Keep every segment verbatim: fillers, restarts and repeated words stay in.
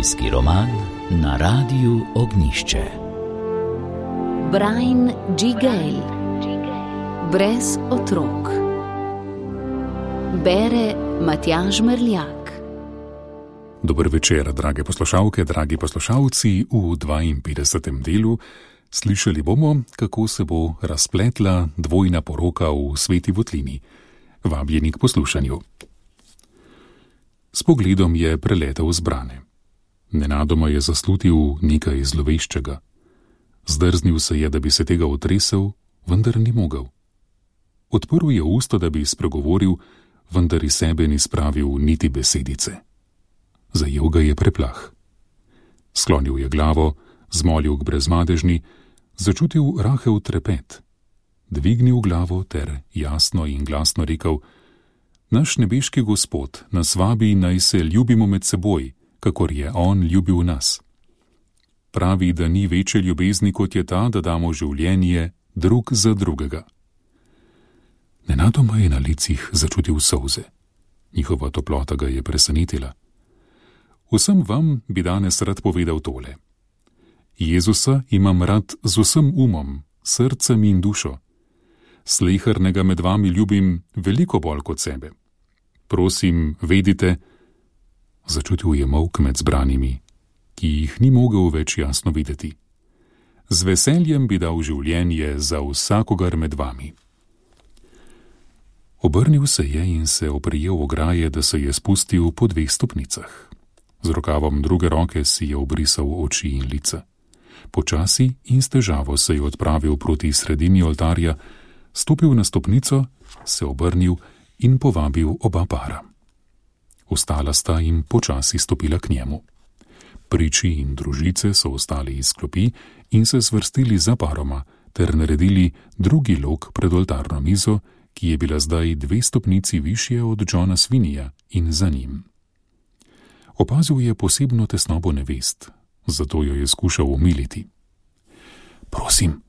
Družinski roman na Radiu Ognjišče. Brian G. Gale. Brez otrok. Bere Matjaž Merljak. Dober večer, drage poslušalke, dragi poslušalci. V dvainpetdesetem delu slišali bomo, kako se bo razpletla dvojna poroka v Sveti Votlini. Vabljeni k poslušanju. S pogledom je preletel zbrane. Nenadoma je zaslutil nekaj zloveščega. Zdrznil se je, da bi se tega otresel, vendar ni mogel. Odprl je usta, da bi spregovoril, vendar iz sebe ni spravil niti besedice. Zajel ga je preplah. Sklonil je glavo, zmolil k brezmadežni, začutil rahel trepet. Dvignil glavo ter jasno in glasno rekel: Naš nebeški Gospod nas vabi, naj se ljubimo med seboj, kakor je On ljubil nas. Pravi, da ni večje ljubezni, kot je ta, da damo življenje drug za drugega. Nenadoma je na licih začutil solze. Njihova toplota ga je presenetila. Vsem vam bi danes rad povedal tole. Jezusa imam rad z vsem umom, srcem in dušo. Slehernega med vami ljubim veliko bolj kot sebe. Prosim, vedite, začutil je molk med zbranimi, ki jih ni mogel več jasno videti. Z veseljem bi dal življenje za vsakogar med vami. Obrnil se je in se oprijel ograje, da se je spustil po dveh stopnicah. Z rokavom druge roke si je obrisal oči in lica. Počasi in s težavo se je odpravil proti sredini oltarja, stopil na stopnico, se obrnil in povabil oba para. Vstala sta in počasi stopila k njemu. Priči in družice so ostali iz klopi in se zvrstili za paroma ter naredili drugi lok pred oltarno mizo, ki je bila zdaj dve stopnici višje od Johna Svinija in za njim. Opazil je posebno tesnobo nevest, zato jo je skušal umiliti. Prosim,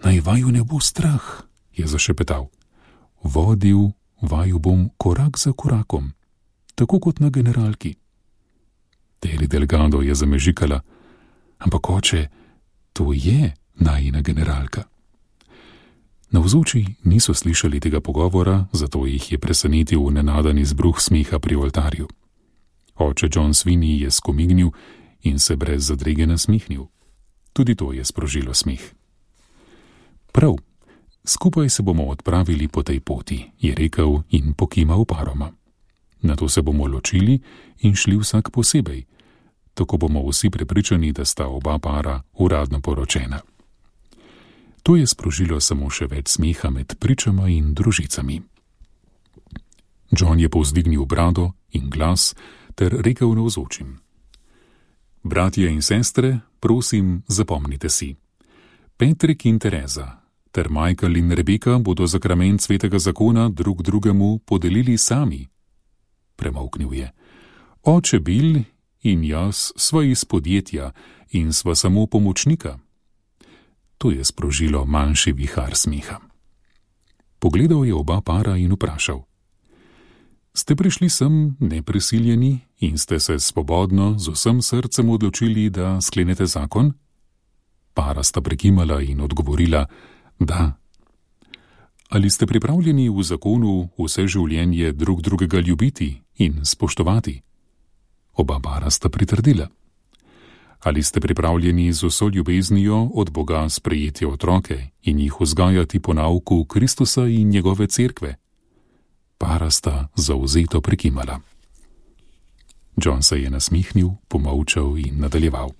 naj vaju ne bo strah, je zašepetal. Vodil vaju bom korak za korakom, tako kot na generalki. Teli Delgado je zamežikala, ampak oče, to je najina generalka. Navzoči niso slišali tega pogovora, zato jih je presenetil nenaden izbruh smeha pri oltarju. Oče John Sweeney je skomignil in se brez zadrege nasmihnil. Tudi to je sprožilo smeh. Prav, skupaj se bomo odpravili po tej poti, je rekel in pokimal paroma. Nato se bomo ločili in šli vsak posebej. Tako bomo vsi prepričani, da sta oba para uradno poročena. To je sprožilo samo še več smeha med pričama in družicami. John je povzdignil brado in glas ter rekel navzočim: Bratje in sestre, prosim, zapomnite si. Petrik in Tereza ter Michael in Rebeka bodo zakrament svetega zakona drug drugemu podelili sami. Premolknil je. Oče Bill in jaz sva iz podjetja in sva samo pomočnika. To je sprožilo manjši vihar smeha. Pogledal je oba para in vprašal: Ste prišli sem neprisiljeni in ste se svobodno z vsem srcem odločili, da sklenete zakon? Para sta prekimala in odgovorila: Da. Ali ste pripravljeni v zakonu vse življenje drug drugega ljubiti in spoštovati? Oba para sta pritrdila. Ali ste pripravljeni z vso ljubeznijo od Boga sprejeti otroke in jih vzgajati po nauku Kristusa in njegove cerkve? Para sta zavzeto prekimala. John se je nasmihnil, pomolčal in nadaljeval.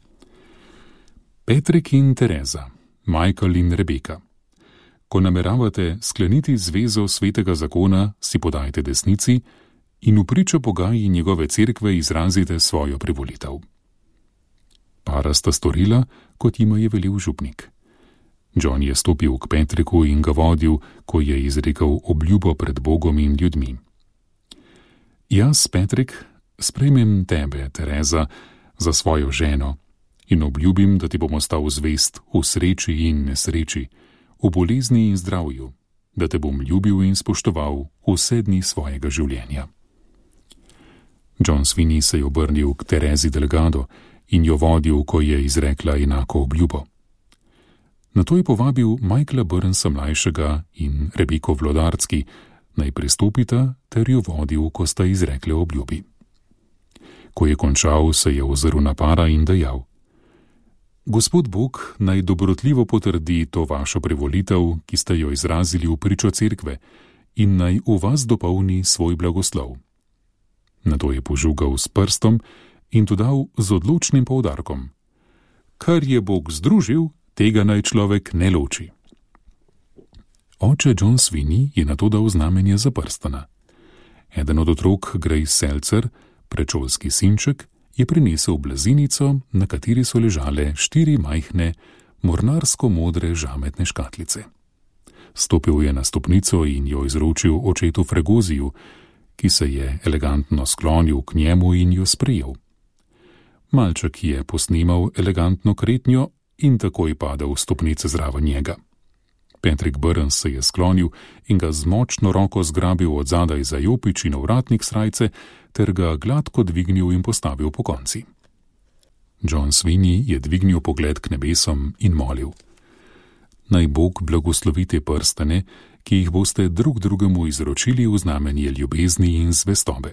Petrik in Tereza, Michael in Rebeka. Ko nameravate skleniti zvezo svetega zakona, si podajte desnici in v pričo Boga in njegove cerkve izrazite svojo privolitev. Para sta storila, kot jima je velel župnik. John je stopil k Petriku in ga vodil, ko je izrekel obljubo pred Bogom in ljudmi. Jaz, Petrik, sprejmem tebe, Tereza, za svojo ženo in obljubim, da ti bom ostal zvest v sreči in nesreči, v bolezni in zdravju, da te bom ljubil in spoštoval vse dni svojega življenja. John Sweeney se je obrnil k Terezi Delgado in jo vodil, ko je izrekla enako obljubo. Nato je povabil Michaela Burnsa mlajšega in Rebeko Vlodarski, naj pristopita, ter jo vodil, ko sta izrekle obljubi. Ko je končal, se je ozrl na para in dejal: Gospod Bog naj dobrotljivo potrdi to vašo privolitev, ki ste jo izrazili v pričo cerkve, in naj v vas dopolni svoj blagoslov. Nato je požugal s prstom in dodal z odločnim poudarkom: Kar je Bog združil, tega naj človek ne loči. Oče John Sweeney je nato dal znamenje za prstana. Eden od otrok, Grace Seltzer, predšolski sinček, je prinesel blazinico, na kateri so ležale štiri majhne, mornarsko-modre žametne škatlice. Stopil je na stopnico in jo izročil očetu Fregoziju, ki se je elegantno sklonil k njemu in jo sprejel. Malček je posnemal elegantno kretnjo in takoj padel v stopnice zraven njega. Patrick Burns se je sklonil in ga z močno roko zgrabil od zadaj za jopič in ovratnik srajce, ter ga gladko dvignil in postavil po konci. John Sweeney je dvignil pogled k nebesom in molil: Naj Bog blagoslovi te prstane, ki jih boste drug drugemu izročili v znamenje ljubezni in zvestobe.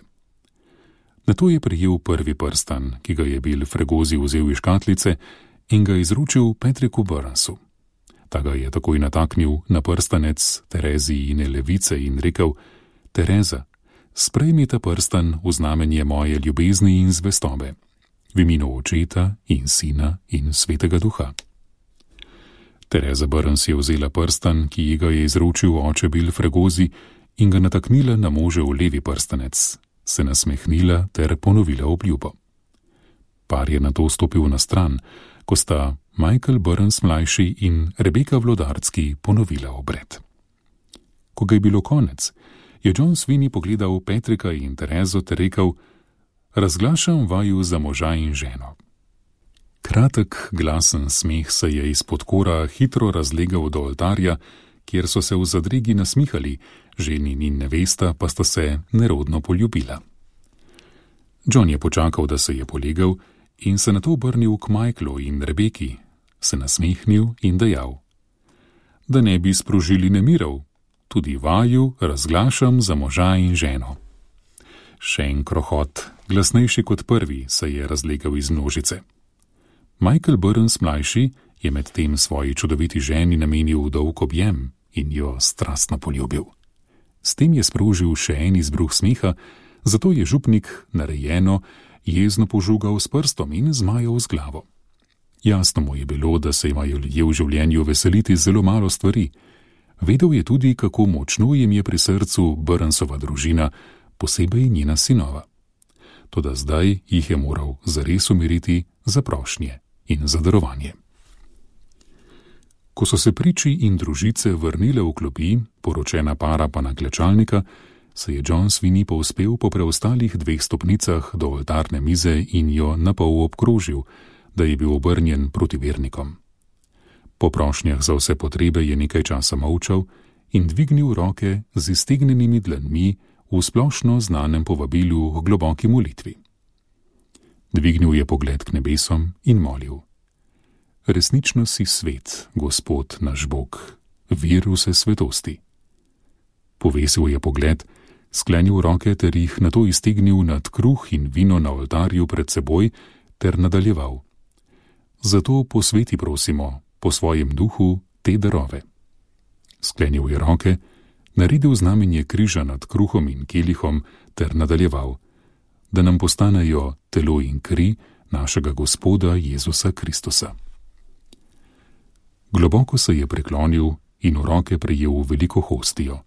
Nato je prijel prvi prstan, ki ga je bil Fregozi vzel iz škatlice, in ga izročil Patricku Burnsu. Ta ga je takoj nataknil na prstanec Terezi in Levice in rekel: Tereza, sprejmi ta prstan v znamenje moje ljubezni in zvestobe, v imenu Očeta in Sina in Svetega Duha. Tereza Burns je vzela prstan, ki ji ga je izročil oče Bill Fregozi, in ga nataknila na možev levi prstanec, se nasmehnila ter ponovila obljubo. Par je nato stopil na stran, ko sta Michael Burns mlajši in Rebeka Vlodarski ponovila obred. Ko ga je bilo konec, je John Sweeney pogledal Patricka in Terezo ter rekel: Razglašam vaju za moža in ženo. Kratek, glasen smeh se je izpod kora hitro razlegal do oltarja, kjer so se v zadregi nasmihali, ženin in nevesta pa sta se nerodno poljubila. John je počakal, da se je polegal, in se nato obrnil k Michaelu in Rebeki, se nasmehnil in dejal: Da ne bi sprožili nemirov, tudi vaju razglašam za moža in ženo. Še en krohot, glasnejši kot prvi, se je razlegal iz množice. Michael Burns mlajši je med tem svoji čudoviti ženi namenil dolg objem in jo strastno poljubil. S tem je sprožil še en izbruh smeha, zato je župnik narejeno jezno požugal s prstom in zmajal z glavo. Jasno mu je bilo, da se imajo ljudje v življenju veseliti zelo malo stvari. Vedel je tudi, kako močno jim je pri srcu Burnsova družina, posebej njena sinova. Toda zdaj jih je moral zares umiriti za prošnje in za darovanje. Ko so se priči in družice vrnile v klopi, poročena para pa na klečalnika, se je John Sweeney povzpel po preostalih dveh stopnicah do oltarne mize in jo napol obkrožil, da je bil obrnjen proti vernikom. Po prošnjah za vse potrebe je nekaj časa molčal in dvignil roke z iztegnjenimi dlanmi v splošno znanem povabilu k globoki molitvi. Dvignil je pogled k nebesom in molil: Resnično si svet, Gospod naš Bog, vir vse svetosti. Povesil je pogled, sklenil roke ter jih nato iztegnil nad kruh in vino na oltarju pred seboj ter nadaljeval: Zato posveti prosimo po svojem duhu te darove. Sklenil je roke, naredil znamenje križa nad kruhom in kelihom ter nadaljeval: Da nam postanejo telo in kri našega Gospoda Jezusa Kristusa. Globoko se je preklonil in v roke prejel veliko hostijo.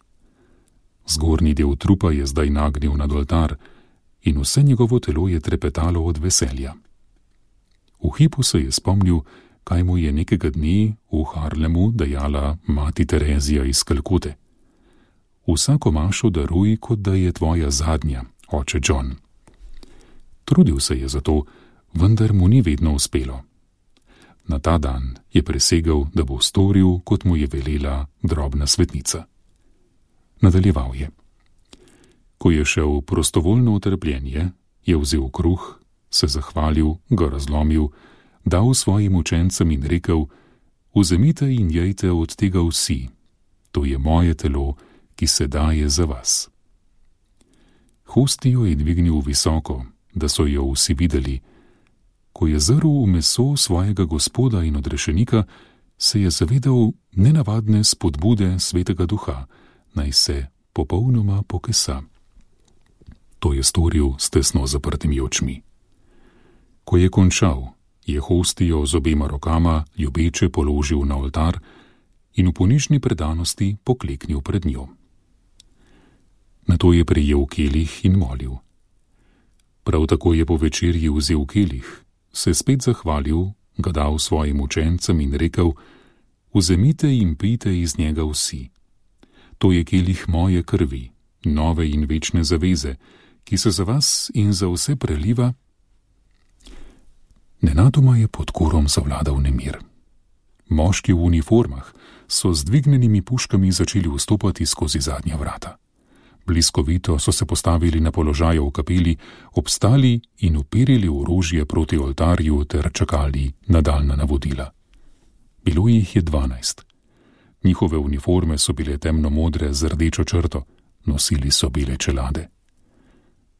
Zgornji del trupa je zdaj nagnil nad oltar in vse njegovo telo je trepetalo od veselja. V hipu se je spomnil, kaj mu je nekega dne v Harlemu dejala mati Terezija iz Kalkute: Vsako mašo daruj, kot da je tvoja zadnja, oče John. Trudil se je za to, vendar mu ni vedno uspelo. Na ta dan je presegel, da bo storil, kot mu je velela drobna svetnica. Nadaljeval je: Ko je šel prostovoljno v trpljenje, je vzel kruh, se zahvalil, ga razlomil, dal svojim učencem in rekel: Vzemite in jejte od tega vsi, to je moje telo, ki se daje za vas. Hostijo je dvignil visoko, da so jo vsi videli. Ko je zrl v meso svojega Gospoda in odrešenika, se je zavedal nenavadne spodbude Svetega Duha, naj se popolnoma pokesa. To je storil s tesno zaprtimi očmi. Ko je končal, je hostijo z obema rokama ljubeče položil na oltar in v ponižni predanosti pokleknil pred njo. Nato je prijel kelih in molil. Prav tako je po večerji vzel kelih, se spet zahvalil, ga dal svojim učencem in rekel: Vzemite in pijte iz njega vsi. To je kelih moje krvi, nove in večne zaveze, ki se za vas in za vse preliva. Nenadoma je pod korom zavladal nemir. Moški v uniformah so z dvignjenimi puškami začeli vstopati skozi zadnja vrata. Bliskovito so se postavili na položaje v kapeli, obstali in uperili orožje proti oltarju ter čakali nadaljnja navodila. Bilo jih je dvanajst. Njihove uniforme so bile temno-modre z rdečo črto, nosili so bele čelade.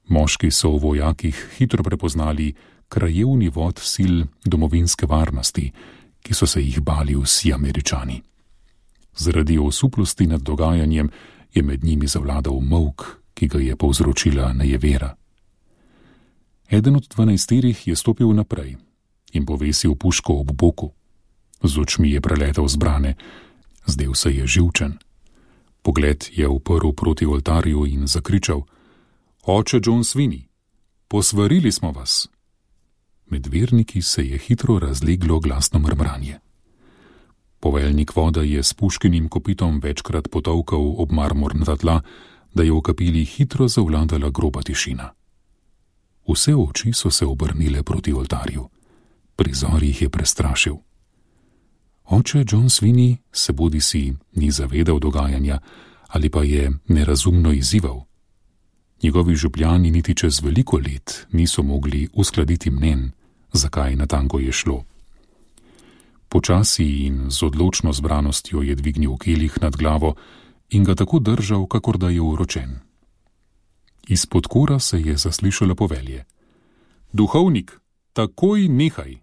Moški so v vojakih hitro prepoznali krajevni vod sil domovinske varnosti, ki so se jih bali vsi Američani. Zaradi osuplosti nad dogajanjem je med njimi zavladal molk, ki ga je povzročila nejevera. Eden od dvanajsterih je stopil naprej in povesil puško ob boku. Z očmi je preletel zbrane, zdel se je živčen. Pogled je uprl proti oltarju in zakričal: Oče John Sweeney, posvarili smo vas. Med verniki se je hitro razleglo glasno mrmranje. Poveljnik voda je s puškinim kopitom večkrat potolkal ob marmorna tla, da je v kapeli hitro zavladala groba tišina. Vse oči so se obrnile proti oltarju. Prizor jih je prestrašil. Oče John Sweeney se bodisi ni zavedal dogajanja ali pa je nerazumno izzival. Njegovi župljani niti čez veliko let niso mogli uskladiti mnen, zakaj natanko je šlo. Počasi in z odločno zbranostjo je dvignil kelih nad glavo in ga tako držal, kakor da je uročen. Izpod kora se je zaslišalo povelje: Duhovnik, takoj nehaj!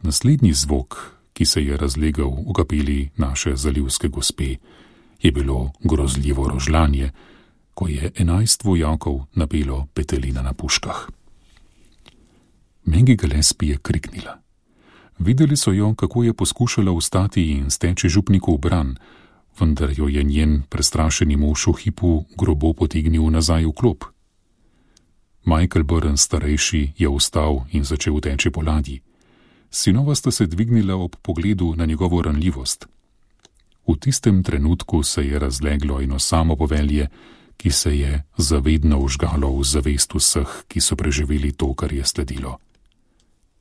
Naslednji zvok, ki se je razlegal v kapeli naše zalivske gospe, je bilo grozljivo rožljanje, ko je enajst vojakov napelo petelina na puškah. Maggie Gillespie je kriknila. Videli so jo, kako je poskušala vstati in steči župniku v bran, vendar jo je njen prestrašeni mož v hipu grobo potegnil nazaj v klop. Michael Burns starejši je vstal in začel teči po ladji. Sinova sta se dvignila ob pogledu na njegovo ranljivost. V tistem trenutku se je razleglo eno samo povelje, ki se je zavedno vžgalo v zavest vseh, ki so preživeli to, kar je sledilo.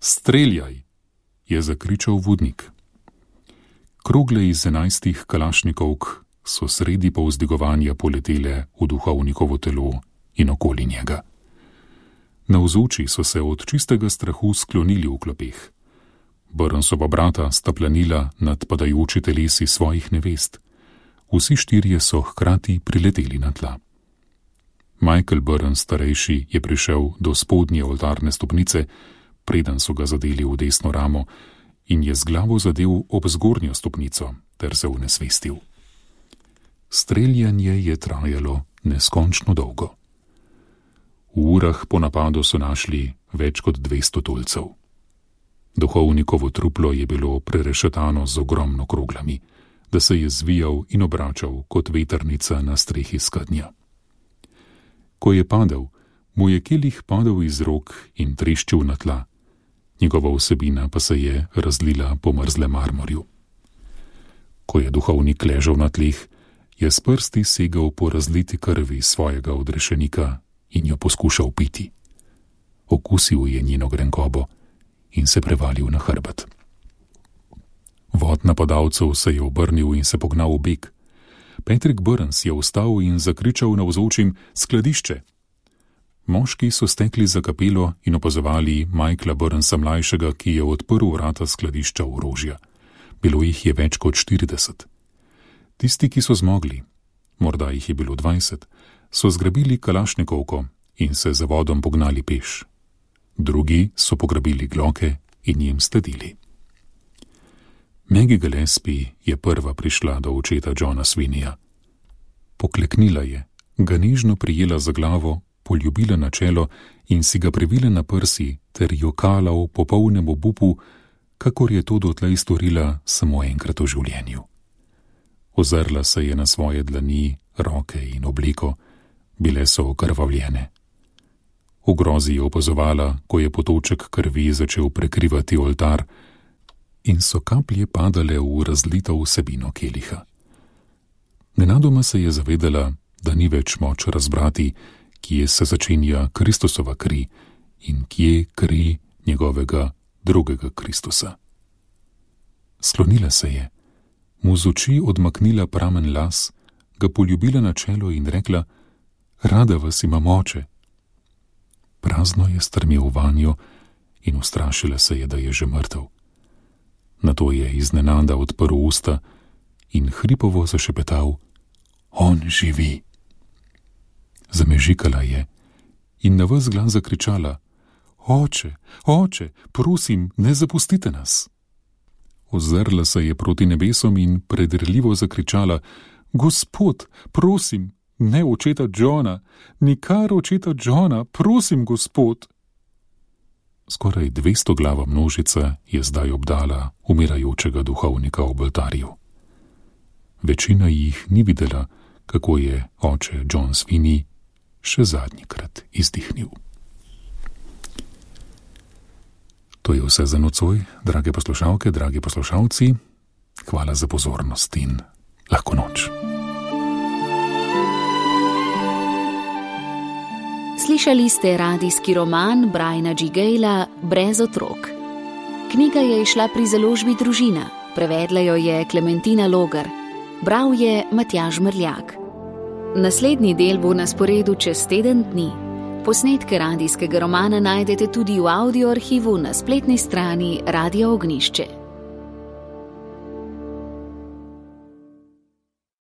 Streljaj! Je zakričal vodnik. Krogle iz enajstih kalašnikovk so sredi povzdigovanja poletele v duhovnikovo telo in okoli njega. Navzoči so se od čistega strahu sklonili v klopeh. Burnsova brata sta planila nad padajoči telesi svojih nevest. Vsi štirje so hkrati prileteli na tla. Michael Burns starejši je prišel do spodnje oltarne stopnice, preden so ga zadeli v desno ramo, in je z glavo zadel ob zgornjo stopnico ter se unesvestil. Streljanje je trajalo neskončno dolgo. V urah po napadu so našli več kot dvesto tulcev. Duhovnikovo truplo je bilo prerešetano z ogromno kroglami, da se je zvijal in obračal kot vetrnica na strehi skednja. Ko je padel, mu je kelih padel iz rok in treščil na tla. Njegova vsebina pa se je razlila po mrzlem marmorju. Ko je duhovnik ležal na tleh, je s prsti segal po razliti krvi svojega odrešenika in jo poskušal piti. Okusil je njeno grenkobo in se prevalil na hrbet. Vod napadalcev se je obrnil in se pognal v beg. Patrick Burns je vstal in zakričal navzočim: Skladišče! Moški so stekli za kapelo in opazovali Michaela Burnsa mlajšega, ki je odprl vrata skladišča orožja. Bilo jih je več kot štirideset. Tisti, ki so zmogli, morda jih je bilo dvajset, so zgrabili kalašnikovko in se za vodom pognali peš. Drugi so pograbili gloke in jim sledili. Maggie Gillespie je prva prišla do očeta Johna Sweeneyja. Pokleknila je, ga nežno prijela za glavo, poljubila na čelo in si ga privila na prsi ter jokala v popolnem obupu, kakor je to dotlej storila samo enkrat v življenju. Ozrla se je na svoje dlani, roke in obleko, bile so okrvavljene. V grozi je opazovala, ko je potoček krvi začel prekrivati oltar in so kaplje padale v razlito vsebino keliha. Nenadoma se je zavedala, da ni več moč razbrati, kje se začenja Kristusova kri in kje kri njegovega drugega Kristusa. Sklonila se je, mu z oči odmaknila pramen las, ga poljubila na čelo in rekla: "Rada vas imam, oče." Prazno je strmel vanjo in ustrašila se je, da je že mrtev. Nato je iznenada odprl usta in hripovo zašepetal: "On živi." Zamežikala je in na ves glas zakričala: "Oče, oče, prosim, ne zapustite nas." Ozrla se je proti nebesom in predrljivo zakričala: "Gospod, prosim, ne očeta Johna, nikar očeta Johna, prosim, gospod." Skoraj dvesto glava množica je zdaj obdala umirajočega duhovnika ob oltarju. Večina jih ni videla, kako je oče John Sweeney še zadnjikrat izdihnil. To je vse za nocoj, drage poslušalke, dragi poslušalci. Hvala za pozornost in lahko noč. Slišali ste radijski roman Briana G. Gayla Brez otrok. Knjiga je izšla pri založbi Družina, prevedla jo je Klementina Logar, bral je Matjaž Mrljak. Naslednji del bo na sporedu čez teden dni. Posnetke radijskega romana najdete tudi v audio arhivu na spletni strani Radia Ognjišče.